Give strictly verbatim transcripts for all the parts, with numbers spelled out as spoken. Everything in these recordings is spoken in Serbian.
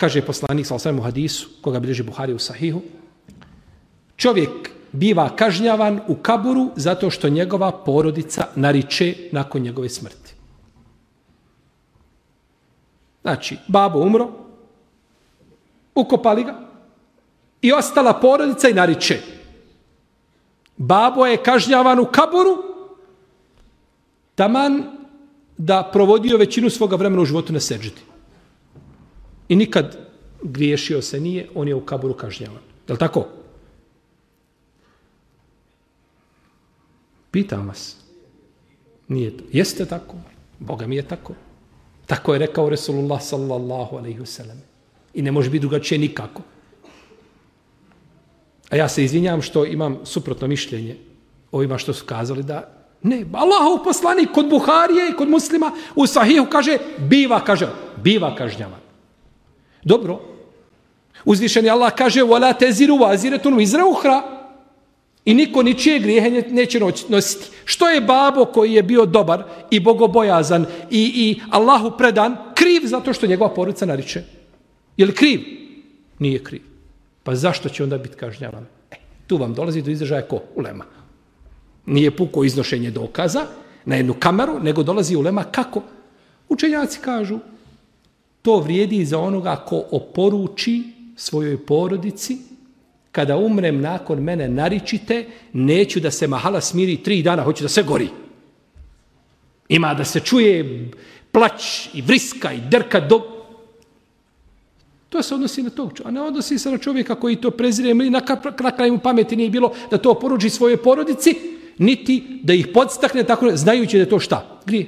Kaže poslanik sallallahu alejhi ve sellem u hadisu, koga bilježi Buhari u Sahihu, čovjek biva kažnjavan u kaburu zato što njegova porodica nariče nakon njegove smrti. Znači, babo umro, ukopali ga i ostala porodica i nariče. Babo je kažnjavan u kaburu taman da provodio većinu svoga vremena u životu na seđdi. I nikad griješio se nije, on je u kaburu kažnjavan. Je li tako? Pitam vas. Nije to. Jeste tako? Boga mi je tako. Tako je rekao Resulullah sallallahu alejhi ve sellem. I ne može biti drugačije nikako. A ja se izvinjam što imam suprotno mišljenje ovima što su kazali da ne, Allahov poslanik kod Buharije i kod Muslima u Sahihu kaže biva kažnjavan. Biva kažnjavan. Dobro. Uzvišeni Allah kaže wala taziru waziratun wizra ukhra. I niko ničije grijehe neće nositi. Što je babo koji je bio dobar i bogobojazan i, i Allahu predan kriv zato što njegova porodica nariče? Je li kriv? Nije kriv. Pa zašto će onda biti kažnjavan? E, tu vam dolazi do izražaja ko? Ulema. Nije puko iznošenje dokaza na jednu kameru, nego dolazi ulema kako? Učenjaci kažu, to vrijedi za onoga ko oporuči svojoj porodici, kada umrem nakon mene naričite, neću da se mahala smiri tri dana, hoću da se gori. Ima da se čuje plać i vriska i drka do... To se odnosi na tog čovjeka, a ne odnosi se na čovjeka koji to prezire, ili na, na kraju pameti nije bilo da to oporuči svojoj porodici, niti da ih podstakne, tako znajući da je to šta? Grije.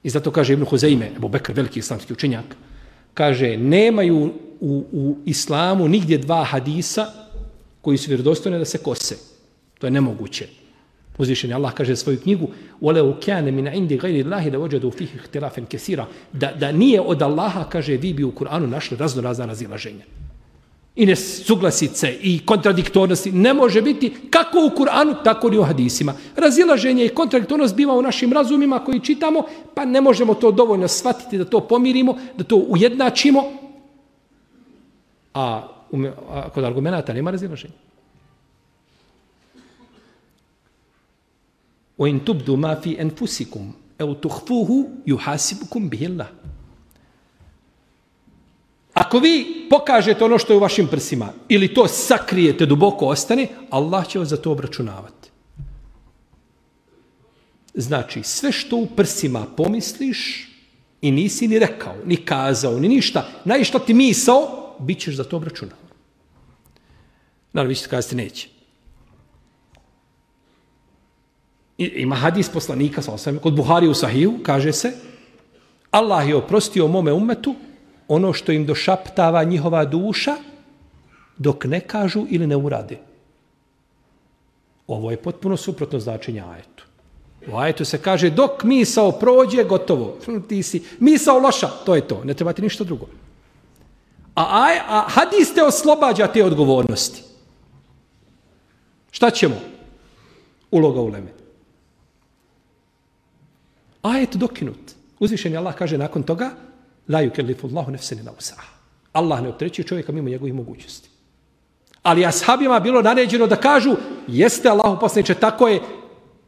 I zato kaže Ibn Huzeime, Ebu Bekr, veliki islamski učenjak, kaže, nemaju u, u islamu nigdje dva hadisa koji su vjerodostojni da se kose. To je nemoguće. Uzvišeni Allah kaže svoju knjigu وَلَوْ كَانَ مِنْ عِنْدِ غَيْرِ اللَّهِ لَوَجَدُوا فِيهِ اخْتِلَافًا كَثِيرًا da, da nije od Allaha, kaže, vi bi u Kur'anu našli razno razna razilaženja. I nesuglasice i kontradiktornosti ne može biti kako u Kur'anu, tako ni u hadisima. Razilaženje i kontradiktornost biva u našim razumima koji čitamo, pa ne možemo to dovoljno shvatiti da to pomirimo, da to ujednačimo. A, a kod argumenata nema razilaženja. وَإِنْ تُبْدُوا مَا فِي أَنْفُسِكُمْ أَوْ تُخْفُوهُ يُحَاسِبُكُمْ بِهِ اللَّهُ. Ako vi pokažete ono što je u vašim prsima ili to sakrijete, duboko ostane, Allah će vas za to obračunavati. Znači, sve što u prsima pomisliš i nisi ni rekao, ni kazao, ni ništa, najšta ti misao, bit ćeš za to obračunavan. Naravno, vi ćete kazati neće. Ima hadis poslanika, kod Buhari u Sahiju, kaže se, Allah je oprostio mome ummetu ono što im došaptava njihova duša dok ne kažu ili ne urade. Ovo je potpuno suprotno značenje ajetu. U ajetu se kaže dok misao prođe, gotovo. Ti si misao loša, to je to. Ne treba ti ništa drugo. A, aj, a hadis te oslobađa te odgovornosti. Šta ćemo? Uloga uleme. Ajet dokinut. Uzvišeni Allah kaže nakon toga la yukellifu Allahu nefsen illa wus'aha. Allah ne opterećuje čovjeka mimo njegovih mogućnosti. Ali ashabima bilo naređeno da kažu jeste Allahu poslaniče, tako je.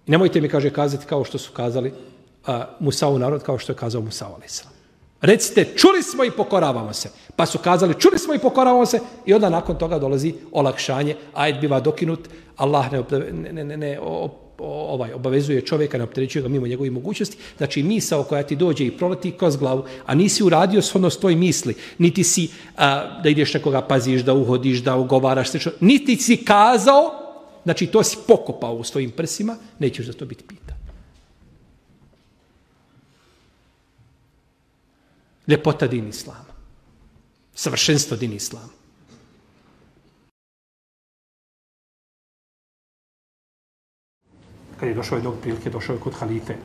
Nemojte mi, kaže, kazati kao što su kazali uh, Musa'u narod, kao što je kazao Musa alejhi selam. Recite, čuli smo i pokoravamo se. Pa su kazali, čuli smo i pokoravamo se i onda nakon toga dolazi olakšanje, ajet biva dokinut, Allah ne, ne, ne, ne, ne o, o, ovaj, obavezuje čovjeka, ne opterećuje ga mimo njegovih mogućnosti. Znači, misao koja ti dođe i proleti kroz glavu, a nisi uradio shodno tvoj misli, niti si a, da ideš nekoga paziš, da uhodiš, da ugovaraš, slično, niti si kazao, znači to si pokopao u svojim prsima, nećeš za to biti pitan. Ljepota din islama. Savršenstvo din islama. Kad je došao jednog prilike, došao je kod halife